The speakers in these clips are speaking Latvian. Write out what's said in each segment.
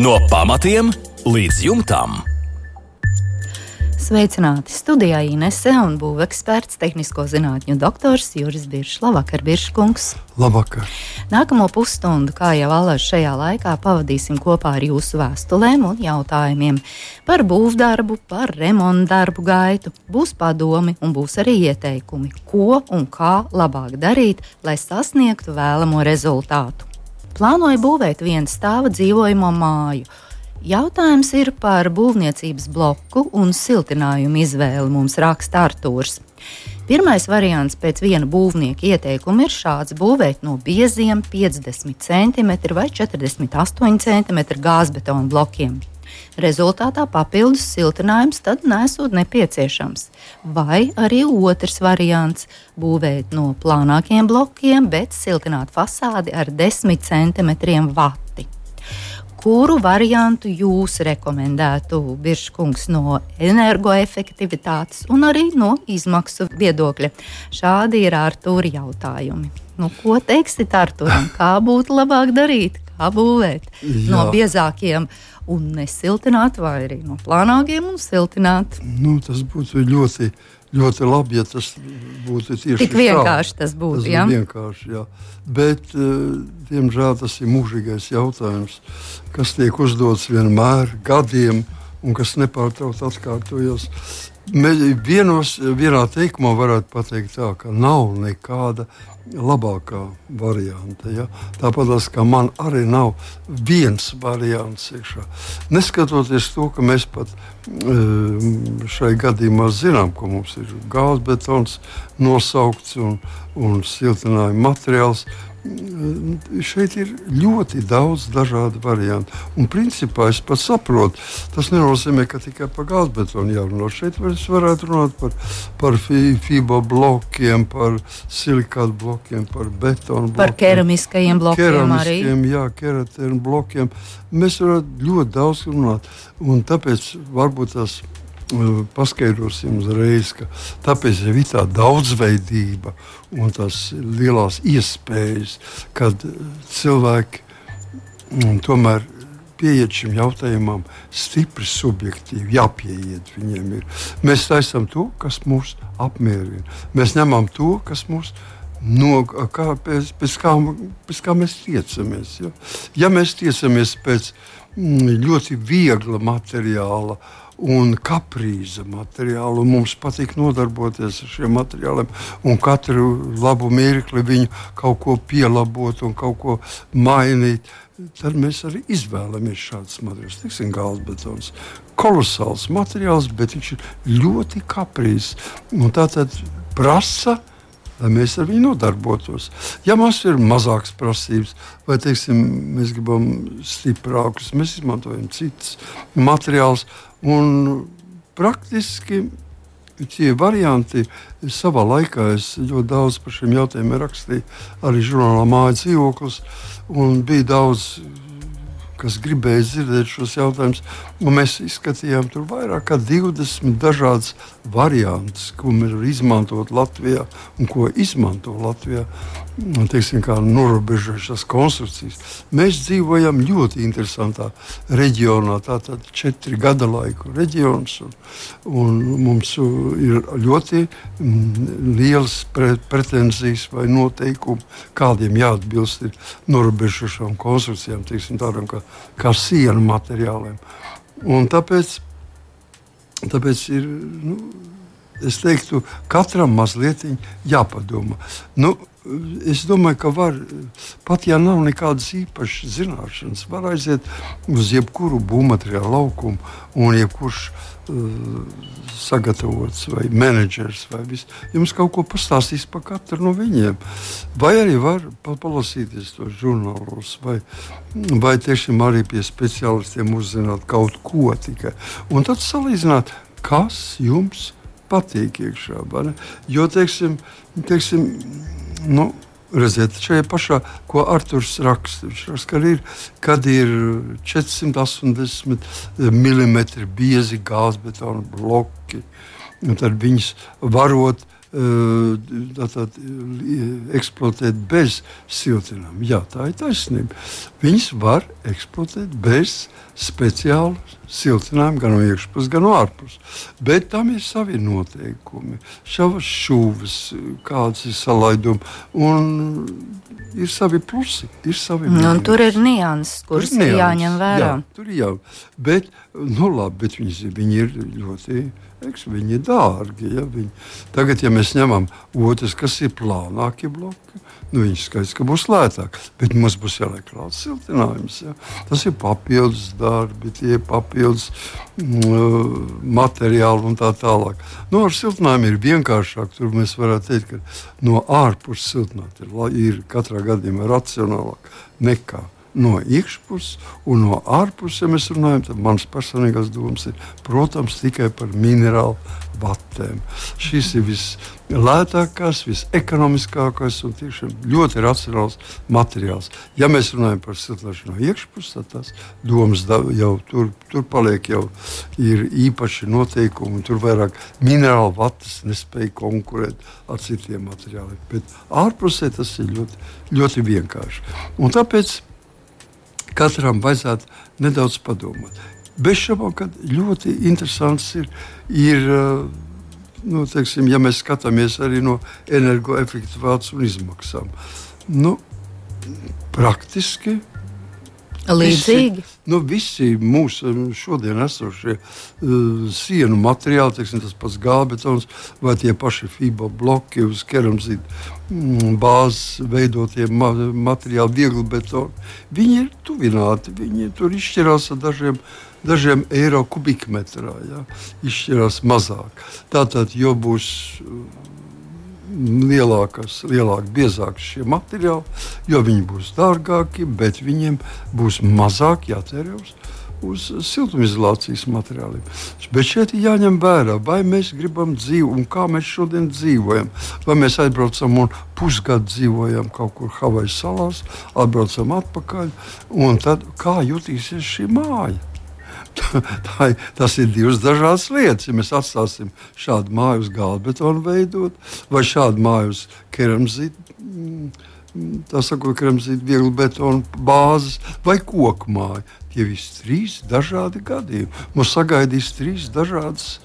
No pamatiem līdz jumtam. Sveicināti! Studijā Inese un būveksperts, tehnisko zinātņu doktors Juris Biršs. Labvakar, Birškungs! Labvakar! Nākamo pusstundu, kā jau allaž šajā laikā, pavadīsim kopā ar jūsu vēstulēm un jautājumiem par būvdarbu, par remontdarbu gaitu. Būs padomi un būs arī ieteikumi, ko un kā labāk darīt, lai sasniegtu vēlamo rezultātu. Plānoju būvēt vienstāva dzīvojamo māju. Jautājums ir par būvniecības bloku un siltinājumu izvēli, mums raksta Artūrs. Pirmais variants pēc viena būvnieka ieteikuma ir šāds: būvēt no bieziem 50 cm vai 48 cm gāzbetona blokiem. Rezultātā papildus siltinājums tad nesot nepieciešams. Vai arī otrs variants - būvēt no plānākiem blokiem, bet siltināt fasādi ar 10 cm vati. Kuru variantu jūs rekomendētu, Birškungs, no energoefektivitātes un arī no izmaksu viedokļa? Šādi ir Artūra jautājumi. Ko teiksit Artūram? Kā būtu labāk darīt? Kā būvēt? No biezākiem un nesiltināt, vai arī no plānākiem un siltināt? Tas būtu ļoti labi, ja tas būtu tieši tik vienkārši. Tas būtu vienkārši, jā. Bet, diemžēl, tas ir mūžīgais jautājums, kas tiek uzdots vienmēr gadiem un kas nepārtraukti atkārtojas. Vienā teikumā varētu pateikt tā, ka nav nekāda labākā varianta. Ja? Tāpat kā man arī nav viens variants iekšā. Neskatoties to, ka mēs pat šai gadījumā zinām, ka mums ir gāzbetons nosaukts un siltinājuma materiāls, šeit ir ļoti daudz dažādu variantu. Un principā es pat saprotu, tas nenozīmē, ka tikai par gāzbetonu jārunā. Šeit varētu runāt par fibo blokiem, par silikātu blokiem, par betonu blokiem. Par keramiskajiem blokiem arī. Jā, keratēnu blokiem. Mēs varētu ļoti daudz runāt. Un tāpēc varbūt tas paskaidrosim uzreiz, ka tāpēc ir tā daudzveidība un tās lielās iespējas, kad cilvēki tomēr pieiet šim jautājumam stipri subjektīvi, jāpieiet viņiem ir. Mēs taisam to, kas mūs apmierina. Mēs ņemam to, kas mūs pēc kā mēs tiecamies. Ja mēs tiecamies pēc ļoti viegla materiāla un kaprīza materiālu, un mums patīk nodarboties ar šiem materiāliem, un katru labu mirkli viņu kaut ko pielabot un kaut ko mainīt, tad mēs arī izvēlamies šādus materiālus. Tiksim, gāzbetons. Kolosāls materiāls, bet viņš ir ļoti kaprīzs. Un tātad prasa, lai mēs ar viņu nodarbotos. Ja mums ir mazākas prasības, vai mēs gribam stiprākus, mēs izmantojam citus materiālus. Un praktiski tie varianti savā laikā es ļoti daudz par šiem jautājumiem rakstīju, arī žurnālā Māja dzīvoklis, un bija daudz, kas gribēja dzirdēt šos jautājumus. Mēs izskatījām tur vairāk kā 20 dažādas variantus, ko mēs varam izmantot Latvijā un ko izmanto Latvijā. Kā norobežojušās konstrukcijas. Mēs dzīvojam ļoti interesantā reģionā, tātad 4 gada laiku reģions, un mums ir ļoti liels pretenzijas vai noteikumi, kādiem jāatbilst ir norobežojušām konstrukcijām, tādām kā sienu materiāliem. Un tāpēc ir, es teiktu, katram mazliet jāpadomā. Es domāju, ka var, pat ja nav nekādas īpašas zināšanas, var aiziet uz jebkuru būvmateriālu laukumu, un jebkurš sagatavots vai menedžers vai viss, jums kaut ko pastāstīs par katru no viņiem. Vai arī var palasīties tos žurnālos, vai tiešām arī pie speciālistiem uzzināt kaut ko tikai. Un tad salīdzināt, kas jums patīk iekšā. Jo, redziet, šajā pašā, ko Arturs raksta, viņš raksta, kad ir 480 mm biezi gāzbetona bloki, un tad viņus varot eksploatēt bez siltinājuma. Jā, tā ir taisnība. Viņas var eksploatēt bez speciālu siltinājumu gan no iekšpuses, gan no ārpuses. Bet tam ir savi noteikumi, savas šūves, kādas ir salaidumi. Un ir savi plusi, ir savi mīnus. Tur ir nianses, kuras ir jāņem vērā. Jā, tur ir jā. Bet viņi ir ļoti... Viņi ir dārgi. Ja? Tagad, ja mēs ņemam otrs, kas ir plānākie bloki, viņi skaidrs, ka būs lētāk. Bet mums būs jāliek klāt siltinājums. Ja? Tas ir papildus darbi, tie ir papildus materiāli un tā tālāk. Ar siltinājumu ir vienkāršāk. Tur mēs varētu teikt, ka no ārpuses siltināt ir katrā gadījumā racionālāk nekā no iekšpuses un no ārpuses, ja mēs runājam, tad manas personīgās domas ir, protams, tikai par minerālu vatēm. Šis ir vislētākais, visekonomiskākais un tiešām ļoti racionāls materiāls. Ja mēs runājam par siltināšanu no iekšpuses, tad tās domas jau tur paliek, jau ir īpaši noteikumi, un tur vairāk minerālu vatas nespēja konkurēt ar citiem materiāliem. Bet ārpusē tas ir ļoti, ļoti vienkārši. Un tāpēc katram vajadzētu nedaudz padomāt. Bez šaubām, ka ļoti interesants ir teiksim, ja mēs skatāmies arī no energoefektivitātes un izmaksām. Praktiski līdzīgi. Visi mūsu šodien esošie sienu materiāli, teiksim, tas pats gābetons vai tie paši FIBA bloki uz keramzīta bāzes veidotie materiāli, viegli betoni, viņi ir tuvināti, viņi tur izšķirās ar dažiem eiro kubikmetrā, ja? Izšķirās mazāk. Tātad, jo būs lielāk, biezāk šie materiāli, jo viņi būs dārgāki, bet viņiem būs mazāk jātērē uz siltumizolācijas materiāliem. Bet šeit ir jāņem vērā, vai mēs gribam dzīvot un kā mēs šodien dzīvojam. Vai mēs aizbraucam un pusgadu dzīvojam kaut kur Havaju salās, atbraucam atpakaļ, un tad kā jutīsies šī māja? Tas ir divas dažādas lietas. Ja mēs atstāsim šādu māju uz gāzbetonu veidot, vai šādu māju uz keramzīta, vieglu betonu bāzes, vai koku māju. Tie visi trīs dažādi gadījumi. Mums sagaidīs trīs dažādas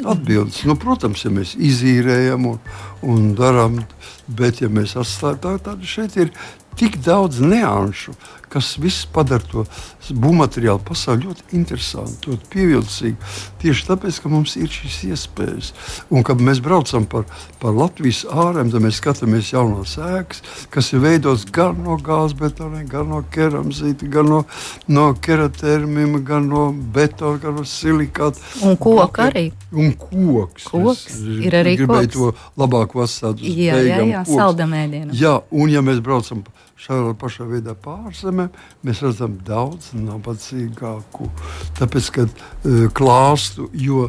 atbildes. Protams, ja mēs izīrējam un darām, bet ja mēs atstājam, tad šeit ir tik daudz nianšu, kas viss padara to būvmateriālu pasauli ļoti interesantu, ļoti pievilcīgu. Tieši tāpēc, ka mums ir šīs iespējas. Un, kad mēs braucam par Latvijas ārēm, tad mēs skatāmies jaunās ēkas, kas ir veidotas gan no gāzbetoniem, gan no keramzīta, gan no keratermima, gan no betona, gan no silikāta. Un koka arī. Un koks. Ir arī koks. Gribēju to labāk vasāt uz beigām. Jā, saldamēdienam. Jā, un ja mēs braucam šādā pašā veidā pārzemē, mēs redzam daudz nabadzīgāku. Tāpēc, kad klāstu, jo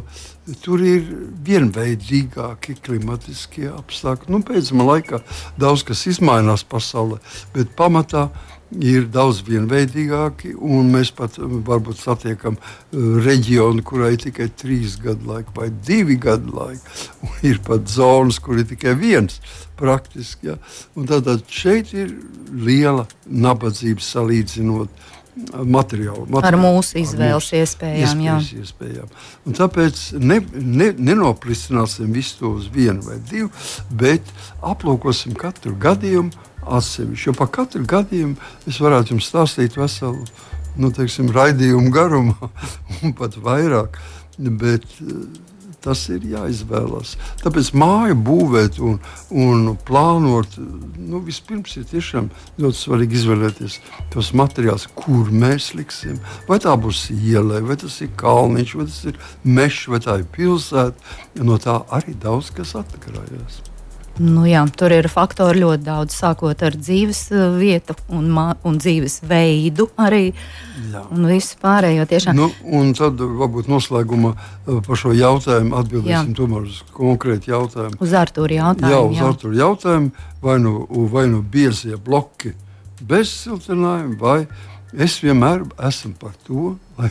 tur ir vienveidīgāki klimatiskie apstākļi. Pēdējā laikā daudz kas izmainās pasaulē, bet pamatā ir daudz vienveidīgāki, un mēs pat varbūt satiekam reģionu, kurā ir tikai 3 gadu laika vai 2 gadu laika. Un ir pat zonas, kur ir tikai 1 praktiski. Ja? Un tātad šeit ir liela nabadzība salīdzinot materiālu. Ar mūsu izvēles iespējām. Un tāpēc nenoplicināsim visu to uz 1 vai 2, bet aplūkosim katru gadījumu atsevišķi. Jo par katru gadījumu es varētu jums stāstīt veselu, raidījumu garumā un pat vairāk, bet tas ir jāizvēlas. Tāpēc māju būvēt un plānot, vispirms ir tiešām ļoti svarīgi izvēlēties tos materiālus, kur mēs liksim. Vai tā būs ielai, vai tas ir kalniņš, vai tas ir mežs, vai tā ir pilsēta. No tā arī daudz kas atkarājās. Tur ir faktori ļoti daudz, sākot ar dzīves vietu un dzīves veidu arī. Jā. Un visu pārējo tiešām. Un tad varbūt noslēgumā par šo jautājumu atbildēsim tomēr uz konkrētu jautājumu. Uz Artūra jautājumu. Artūra jautājumu, vai nu biezie bloki bez siltinājuma, vai es vienmēr esmu par to, lai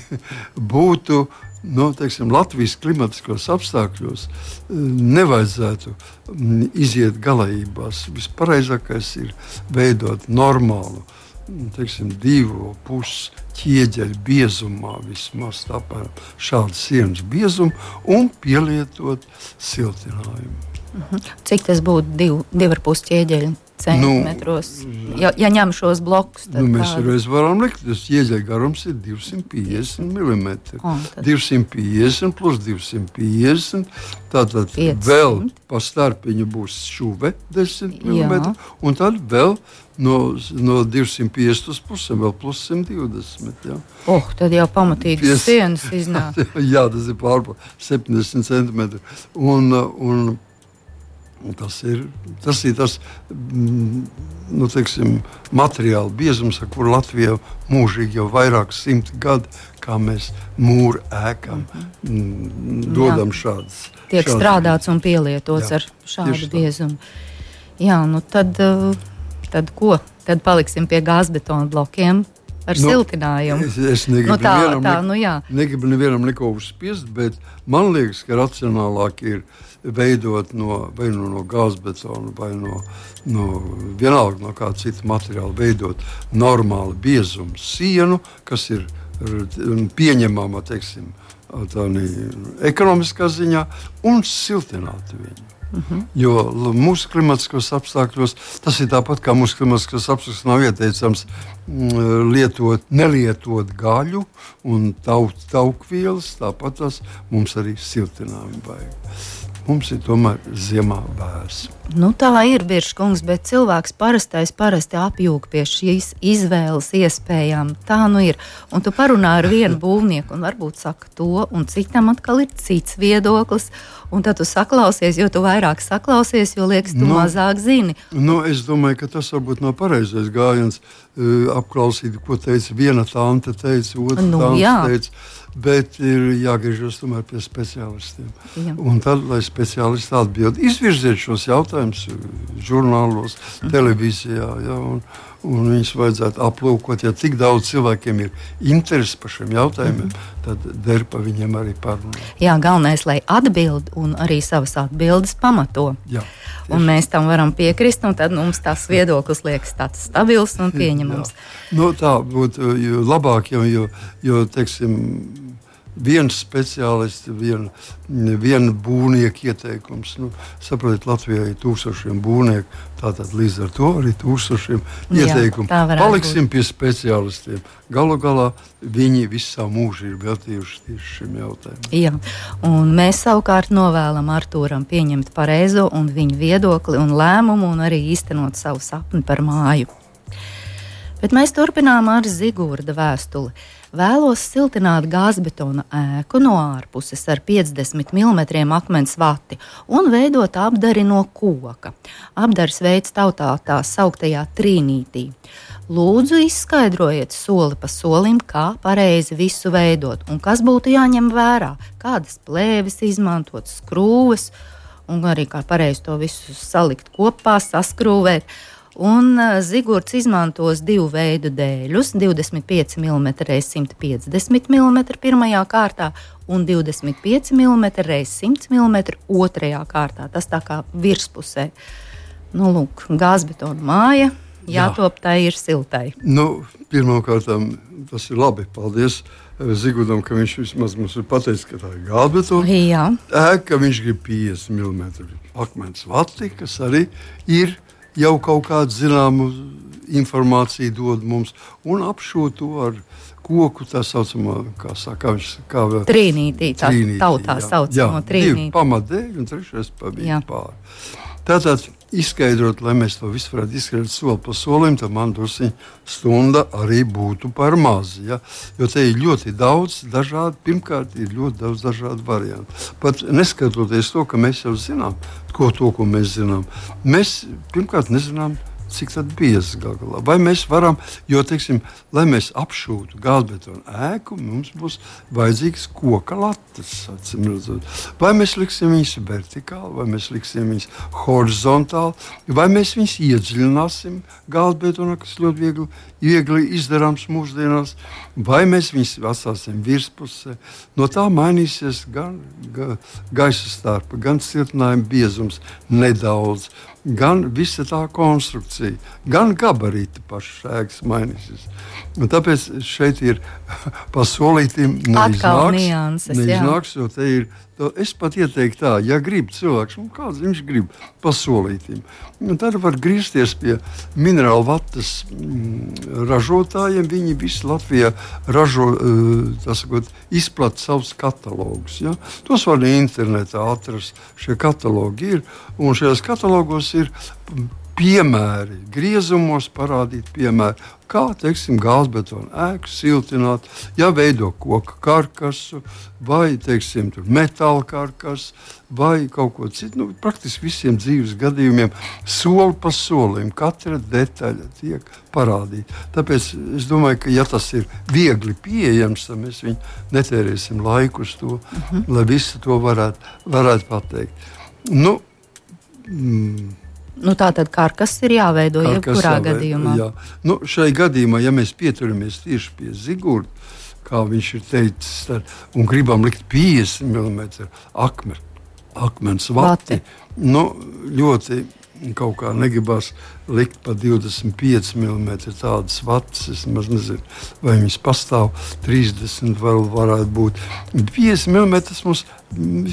būtu Latvijas klimatiskos apstākļos, nevajadzētu iziet galējībās. Vispareizākais ir veidot normālu, 2,5 ķieģeļu biezumā, vismaz šādu sienas biezumu, un pielietot siltinājumu. Cik tas būtu 2,5 ķieģeļu centimetros? Ja ņem šos blokus, tad mēs reiz varam likt, tas ķieģeļa garums ir 250 mm. 250 plus 250, tātad 500. Vēl pa starpiņu būs šuve 10 mm, un tad vēl no 250 uz pusēm vēl plus 120. Ja. Tad jau pamatīgi sienas iznāk. Jā, tas ir pārpa 70 centimetri. Un tas ir tas materiāla biezums, ar kuru Latvijā mūžīgi jau vairāk 100 gadu, kā mēs mūru ēkām dodam šādas. Tiek strādāts un pielietots ar šādu biezumu. Jā, tad ko? Tad paliksim pie gāzbetona blokiem ar siltinājumu. Es negribu nevienam neko uzspiest, bet man liekas, ka racionālāk ir veidot vai no gāzbetona vai vienalga no kāda cita materiāla veidot normālu biezumu sienu, kas ir pieņemama, ekonomiskā ziņā, un siltināt viņu. Jo mūsu klimatiskos apstākļos tas ir tāpat, kā mūsu klimatiskos apstākļos nav ieteicams nelietot gaļu un taukvielas, tāpat tas mums arī siltinājumu vajag. Mums ir tomēr ziemā vērs. Tā ir, Biržkungs, bet cilvēks parasti apjūg pie šīs izvēles iespējām. Tā ir. Un tu parunā ar vienu būvnieku un varbūt saka to, un citam atkal ir cits viedoklis. Un tad tu saklausies, jo tu vairāk saklausies, jo liekas, tu mazāk zini. Es domāju, ka tas varbūt nav pareizais gājiens apklausīt, ko teica viena tante, otra tante teica. Bet ir jāgriežas tomēr pie speciālistiem. Jā. Un tad, lai speciālisti atbild, izvirziet šos jautājumus žurnālos, televīzijā, un viņus vajadzētu aplūkot. Ja tik daudz cilvēkiem ir interesi par šiem jautājumiem, tad der pa viņiem arī parunāt. Jā, galvenais, lai atbild un arī savas atbildes pamato. Jā. Un mēs tam varam piekrist, un tad mums tas viedoklis liekas tāds stabils un pieņemams. Tā būtu labāk, jo viens speciālists, viena būvnieka ieteikums. Saprotiet, Latvijā ir tūkstošiem būvnieku, tātad līdz ar to arī tūkstošiem ieteikumu. Paliksim pie speciālistiem. Galu galā viņi visu savu mūžu ir veltījuši tieši šim jautājumam. Jā, un mēs savukārt novēlam Artūram pieņemt pareizo un viņu viedokli un lēmumu un arī īstenot savu sapni par māju. Bet mēs turpinām ar Zigurda vēstuli. Vēlos siltināt gāzbetona ēku no ārpuses ar 50 mm akmens vati un veidot apdari no koka. Apdaris veids tautā tā sauktajā trīnītī. Lūdzu, izskaidrojiet soli pa solim, kā pareizi visu veidot un kas būtu jāņem vērā, kādas plēves izmantot, skrūves un arī kā pareizi to visu salikt kopā, saskrūvēt. Un Zigurds izmantos divu veidu dēļus, 25 mm x 150 mm pirmajā kārtā un 25 mm x 100 mm otrajā kārtā. Tas tā kā virspusē. Lūk, gāzbetona māja, jātop tai ir siltai. Pirmkārt, tas ir labi. Paldies Zigurdam, ka viņš vismaz mums ir pateicis, ka tā ir gāzbetona ēka, viņš grib 50 mm akmens vati, kas arī ir jau kaut kādu zināmu informāciju dod mums, un apšo to ar koku, tā saucamā, trīnītī, tautā saucamā trīnītī. 2 pamatdēļ un 3 pa viņu pāri. Tātad izskaidrot, lai mēs to visu varētu izskaidrot soli pa solim, tad man drusciņ stunda arī būtu par maz. Ja? Jo te ir ļoti daudz dažādu, pirmkārt ir ļoti daudz dažādu variantu. Pat neskatoties to, ka mēs jau zinām, ko mēs zinām. Mēs pirmkārt nezinām, cik tad biezs gal galā. Vai mēs varam, jo, teiksim, lai mēs apšūtu gāzbetonu ēku, mums būs vajadzīgs koka latas, acīm redzot. Vai mēs liksim viņus vertikāli, vai mēs liksim viņus horizontāli, vai mēs viņus iedziļināsim gāzbetonā, kas ļoti viegli izdarāms mūsdienās, vai mēs viņus atstāsim virspusē. No tā mainīsies gan gaisa starpa, gan siltinājuma biezums nedaudz, gan visa tā konstrukcija, gan gabarīti pašas ēkas mainīsies. Un tāpēc šeit ir pa solītim neiznāks, jo te ir. Es pat ieteiktu tā, ja grib cilvēks, kāds viņš grib pa solītim, tad var griezties pie minerālu vatas ražotājiem. Viņi visi Latvijā ražo, izplata savus katalogus. Ja? Tos var internetā atrast. Šie katalogi ir, un šajos katalogos ir piemēri, griezumos parādīt piemēri, kā, teiksim, gāzbetonu ēku siltināt, ja veido koka karkasu, vai, teiksim, metāla karkasu, vai kaut ko citu. Praktiski visiem dzīves gadījumiem soli pa solim, katra detaļa tiek parādīta. Tāpēc es domāju, ka, ja tas ir viegli pieejams, tad mēs viņu netērēsim laiku uz to, lai visi to varētu pateikt. Tā tad karkas ir jāveido jebkurā gadījumā. Jā. Šai gadījumā, ja mēs pieturamies tieši pie Zigurda, kā viņš ir teicis, un gribam likt 50 mm akmens vati, ļoti kaut kā negribas likt pa 25 mm tādas vatas. Es nezinu, vai viņas pastāv, 30 vēl varētu būt. 50 mm mums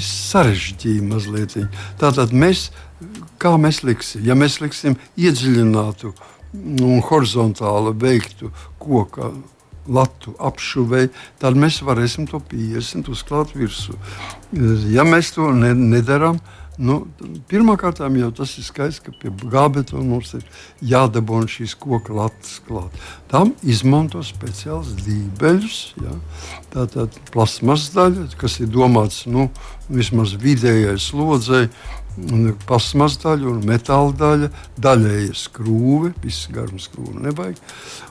sarežģīja mazliet. Tātad kā mēs liksim? Ja mēs liksim iedziļinātu un horizontāli veiktu koka latu apšuvei, tad mēs varēsim to 50 uzklāt virsū. Ja mēs to nedaram, pirmkārt jau tas ir skaists, ka pie gābetona mums ir jādabūna šīs koka latas klāt. Tam izmanto speciāls dībeļus, ja? Tātad plasmas daļa, kas ir domāts vismaz vidējai slodzei, plasmas daļa un metāla daļa, daļēja skrūve, viss garuma skrūve nevajag.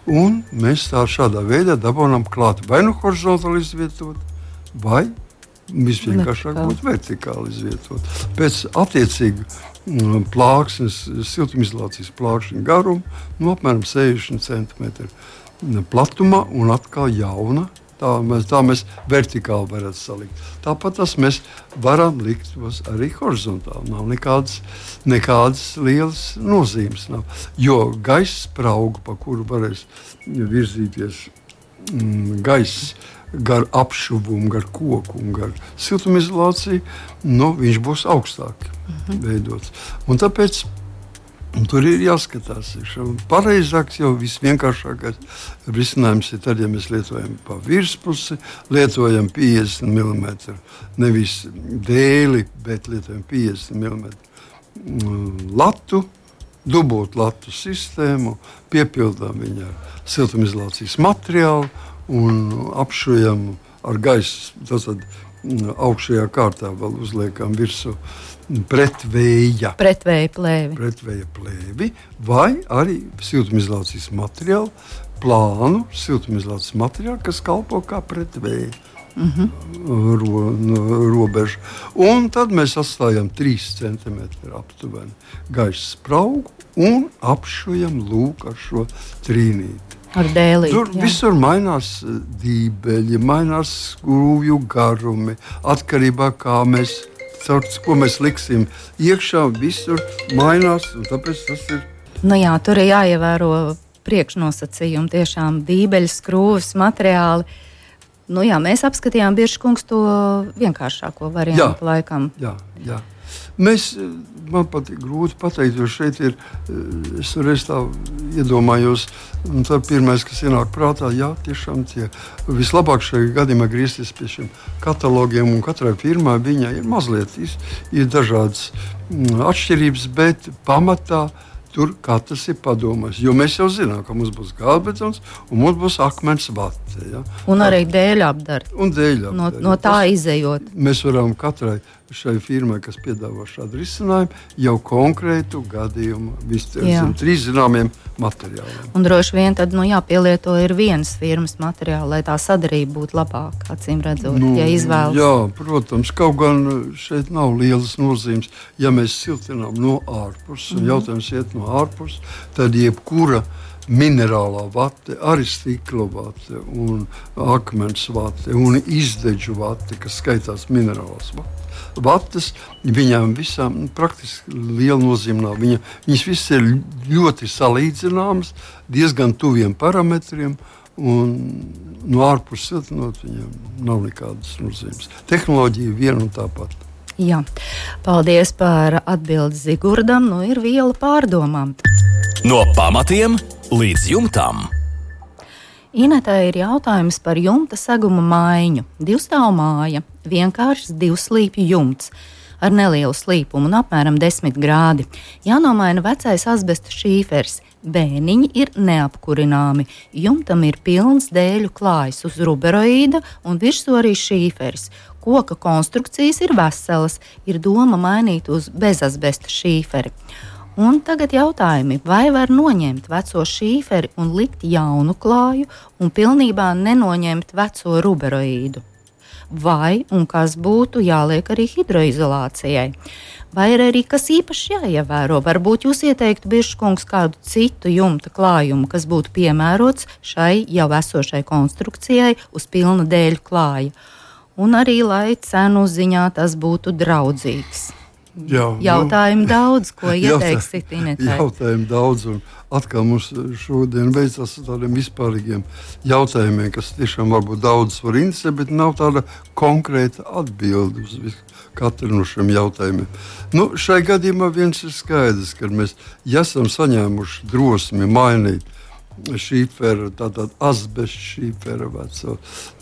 Un mēs šādā veidā dabūnam klāt vai horizontāli izvietot, vai visvienkāršāk būtu vertikāli izvietot. Pēc attiecīgi plāksnes, siltumizolācijas plākšņa garuma, apmēram 60 cm platumā un atkal jauna. Tā mēs vertikāli varētu salikt. Tāpat mēs varam likt arī horizontāli. Nav nekādas lielas nozīmes. Jo gaisa sprauga, pa kuru varēs virzīties gaiss gar apšuvumu, gar koku un gar siltumizolāciju, viņš būs augstāk veidots. Un tāpēc tur ir jāskatās. Pareizāks, jau visvienkāršākais risinājums ir tad, ja mēs lietojam pa virspusi, lietojam 50 mm, nevis dēli, bet lietojam 50 mm latu, dubult latu sistēmu, piepildām viņu ar siltumizolācijas materiālu un apšujam ar gaisu. Tātad augšējā kārtā vēl uzliekam virsū pretvēja plēvi vai arī siltumizolācijas materiālu, plānu siltumizolācijas materiālu, kas kalpo kā pretvēja robeža. Un tad mēs atstājam 3 cm aptuveni gaisa spraugu un apšujam lūk ar šo trīnīti. Ar dēlīti. Tur visur mainās dībeļi, mainās skrūvju garumi, atkarībā kā ko mēs liksim iekšā, visur mainās, un tāpēc tas ir. Tur ir jāievēro priekšnosacījumi, tiešām dībeļi, skrūves, materiāli. Mēs apskatījām Birškungs to vienkāršāko variantu laikam. Jā. Man pat ir grūti pateikt, jo šeit ir, es reiz tā iedomājos, un tā pirmais, kas ienāk prātā, tiešām tie vislabāk šajā gadījumā griezties pie šiem katalogiem, un katrai firmai viņai ir mazliet, ir dažādas atšķirības, bet pamatā tur katrs ir padomājis. Jo mēs jau zinām, ka mums būs gāzbetons un mums būs akmens vate. Ja? Un arī dēļu apdari. Un dēļu apdari. No tā izejot. Mēs varam katrai šai firmai, kas piedāvā šādu risinājumu, jau konkrētu gadījumu visiem 3 zināmiem materiāliem. Un droši vien tad jāpielieto ir vienas firmas materiāli, lai tā sadarbība būtu labāka, acīm redzot, ja izvēlas. Jā, protams, kaut gan šeit nav lielas nozīmes. Ja mēs siltinām no ārpuses, un jautājums iet no ārpuses, tad jebkura minerālā vate, arī stikla vate un akmens vate un izdeģu vate, kas skaitās minerālās vates, viņām visām praktiski liela nozīme nav. Viņas visas ir ļoti salīdzināmas, diezgan tuviem parametriem, un no ārpuses siltinot viņam nav nekādas nozīmes. Tehnoloģija viena un tā pati. Jā, paldies par atbildi Zigurdam. Ir viela pārdomām. No pamatiem līdz jumtam. Inetai ir jautājums par jumta seguma maiņu. 2-stāvu māja, vienkāršs 2-slīpju jumts ar nelielu slīpumu un apmēram 10 grādi. Jānomaina vecais asbesta šīfers. Bēniņi ir neapkurināmi. Jumtam ir pilns dēļu klājs uz ruberoīda un virsū arī šīfers. Koka konstrukcijas ir veselas, ir doma mainīt uz bezasbesta šīferi. Un tagad jautājumi, vai var noņemt veco šīferi un likt jaunu klāju un pilnībā nenoņemt veco ruberoīdu? Vai un kas būtu jāliek arī hidroizolācijai? Vai ir arī kas īpaši jāievēro? Varbūt jūs ieteiktu, Biržkungs, kādu citu jumta klājumu, kas būtu piemērots šai jau esošai konstrukcijai uz pilna dēļu klāja. Un arī, lai cenu ziņā tas būtu draudzīgs. Jautājumu daudz, ko ieteiksit Inetai? Jautājumu daudz, un atkal mums šodien veicās ar tādiem vispārīgiem jautājumiem, kas tiešām varbūt daudz var interesēt, bet nav tāda konkrēta atbilde uz katru no šiem jautājumiem. Šai gadījumā viens ir skaidrs, ka mēs esam saņēmuši drosmi mainīt šīferu, tātad asbestu šīferu,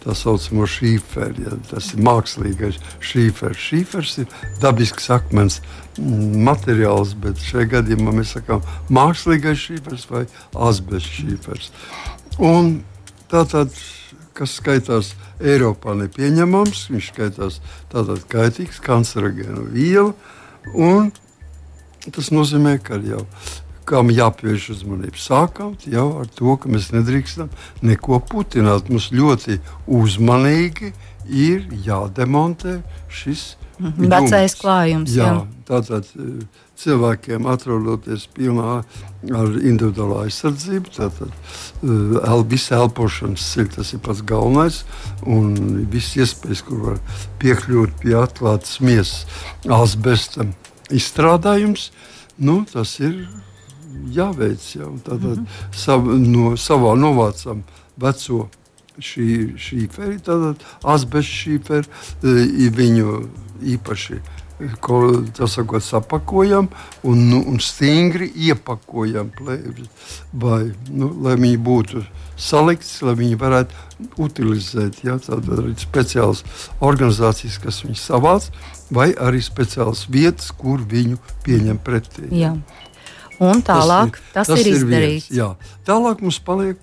tā saucamo šīferu. Ja, tas ir mākslīgais šīfers. Šīfers ir dabisks akmens materiāls, bet šajā gadījumā mēs sakām mākslīgais šīfers vai asbestu šīfers. Un tātad, kas skaitās Eiropā nepieņemams, viņš skaitās tātad kaitīgs, kancerogēnu vielu, un tas nozīmē, ka jau kam jāpievērš uzmanība. Sākot jau ar to, ka mēs nedrīkstam neko putināt. Mums ļoti uzmanīgi ir jādemontē šis vecais klājums. Jā, tātad cilvēkiem atrodoties pilnā ar individuālo aizsardzību, tātad visa elpošanas ceļa, tas ir pats galvenais, un viss iespējas, kur var piekļūt pie atklātas miesas asbesta izstrādājums, tas ir jāveic jau. Tātad savā novācam veco šīferi, tātad asbestu šīferi, viņu īpaši sapakojam un stingri iepakojam, lai viņi būtu salikts, lai viņi varētu utilizēt. Ja? Tātad arī speciālas organizācijas, kas viņus savāc, vai arī speciālas vietas, kur viņu pieņem pretī. Jā. Un tālāk tas ir izdarīts. Jā. Tālāk mums paliek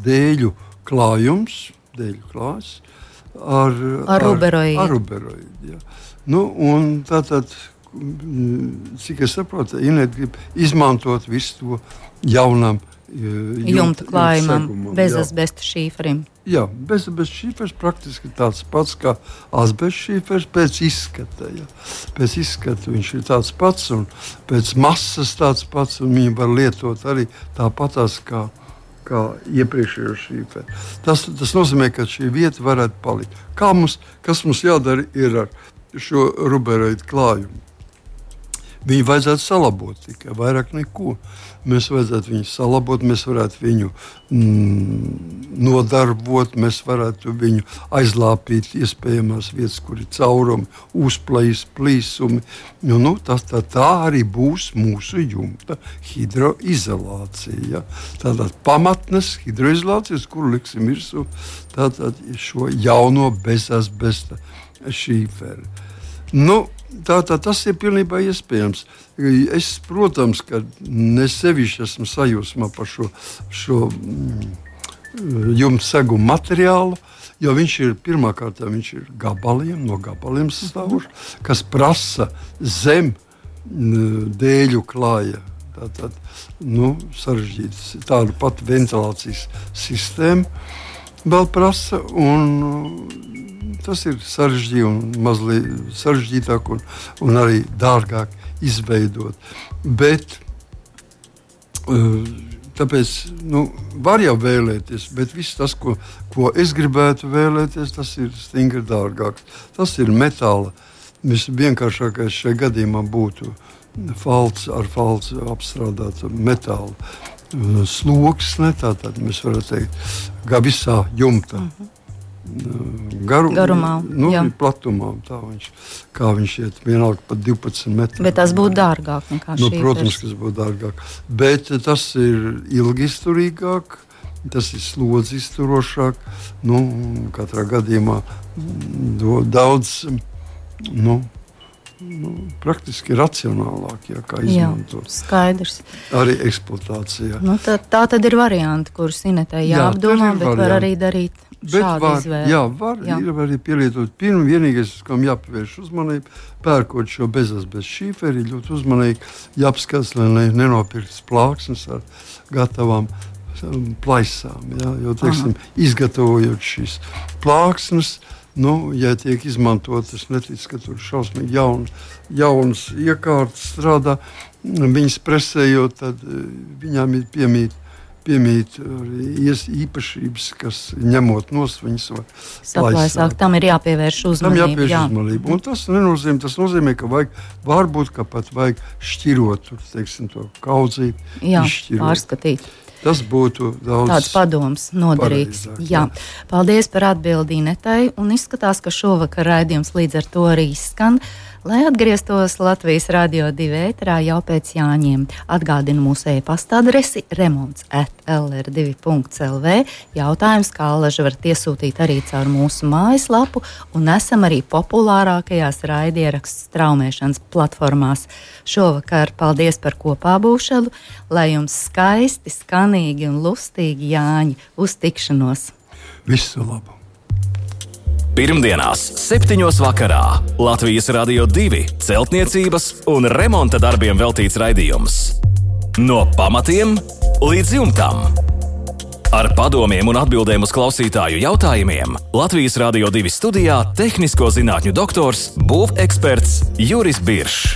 dēļu klājums, ar ruberoīdu. Un tātad, cik es saprotu, Ineta grib izmantot visu to jaunam jumta klājumam, bezasbesta šīferim. Jā, bezasbesta šīfers praktiski tāds pats kā asbesta šīfers pēc izskata. Ja. Pēc izskata viņš ir tāds pats un pēc masas tāds pats, un viņi var lietot arī tāpatās kā iepriekšējo šīferi. Tas nozīmē, ka šī vieta varētu palikt. Kas mums jādara ir ar šo ruberoīdu klājumu? Viņu vajadzētu salabot tikai, vairāk neko. Mēs vajadzētu viņu salabot, mēs varētu viņu nodarbot, mēs varētu viņu aizlāpīt iespējamās vietas, kur ir caurumi, uzplējis, plīsumi. Tā arī būs mūsu jumta hidroizolācija. Ja? Tātad pamatnes hidroizolācijas, kuru liksim virsū šo jauno bezasbesta šīferi. Tātad tas ir pilnībā iespējams. Es, protams, ka ne sevišķi esmu sajūsmā par šo jumta seguma materiālu, jo viņš ir pirmkārt no gabaliem sastāvošs, kas prasa zem dēļu klāja. Tātad, sarežģīts. Tādu pat ventilācijas sistēmu vēl prasa, un tas ir sarežģīti un mazliet sarežģītāk un arī dārgāk izveidot. Bet tāpēc var jau vēlēties, bet viss tas, ko es gribētu vēlēties, tas ir stingri dārgāks. Tas ir metāla. Vienkāršākais šajā gadījumā būtu falts apstrādāt metālu sloksne, tātad mēs varam teikt, visā jumta. Garumā, platumā, kā viņš iet, vienalga pat 12 metri. Bet tas būtu dārgāk nekā šī. Protams, kas būtu dārgāk. Bet tas ir ilgi izturīgāk, tas ir slodzi izturošāk. Katrā gadījumā daudz, praktiski racionālāk, kā izmantot. Jā, skaidrs. Arī eksploatācijā. Tā tad ir varianti, kurus Inetai jāapdomā, bet var arī darīt šādu izvēli. Ir arī pielietot. Vienīgais, kam jāpievērš uzmanību, pērkot šo bezasbestu šīferi, ļoti uzmanīgi jāapskatās, lai nenopirktas plāksnes ar gatavām plaisām. Jo, izgatavojot šīs plāksnes, ja tiek izmantotas, neticu, ka tur šausmīgi jaunas iekārtas strādā, viņas presējot, tad viņām ir piemīt arī īpašības, kas ņemot nost, viņas var saplaisāt. Tam ir jāpievērš uzmanību. Un tas nozīmē, ka varbūt pat vajag šķirot, to kaudzīt, izšķirot. Pārskatīt. Tas būtu tāds padoms noderīgs. Paldies par atbildi Inetai, un izskatās, ka šovakar raidījums līdz ar to arī izskan. Lai atgrieztos Latvijas Radio 2 ēterā jau pēc Jāņiem. Atgādinu mūsu e-pasta adresi remonts@lr2.lv. Jautājums, kā alaži varat iesūtīt arī caur mūsu mājaslapu, un esam arī populārākajās raidierakstu straumēšanas platformās. Šovakar paldies par kopā būšanu, lai jums skaisti, skanīgi un lustīgi Jāņi. Uz tikšanos! Visu labu! Pirmdienās 7. vakarā Latvijas Radio 2 celtniecības un remonta darbiem veltīts raidījums. No pamatiem līdz jumtam. Ar padomiem un atbildēm uz klausītāju jautājumiem Latvijas Radio 2 studijā tehnisko zinātņu doktors, būveksperts Juris Biršs.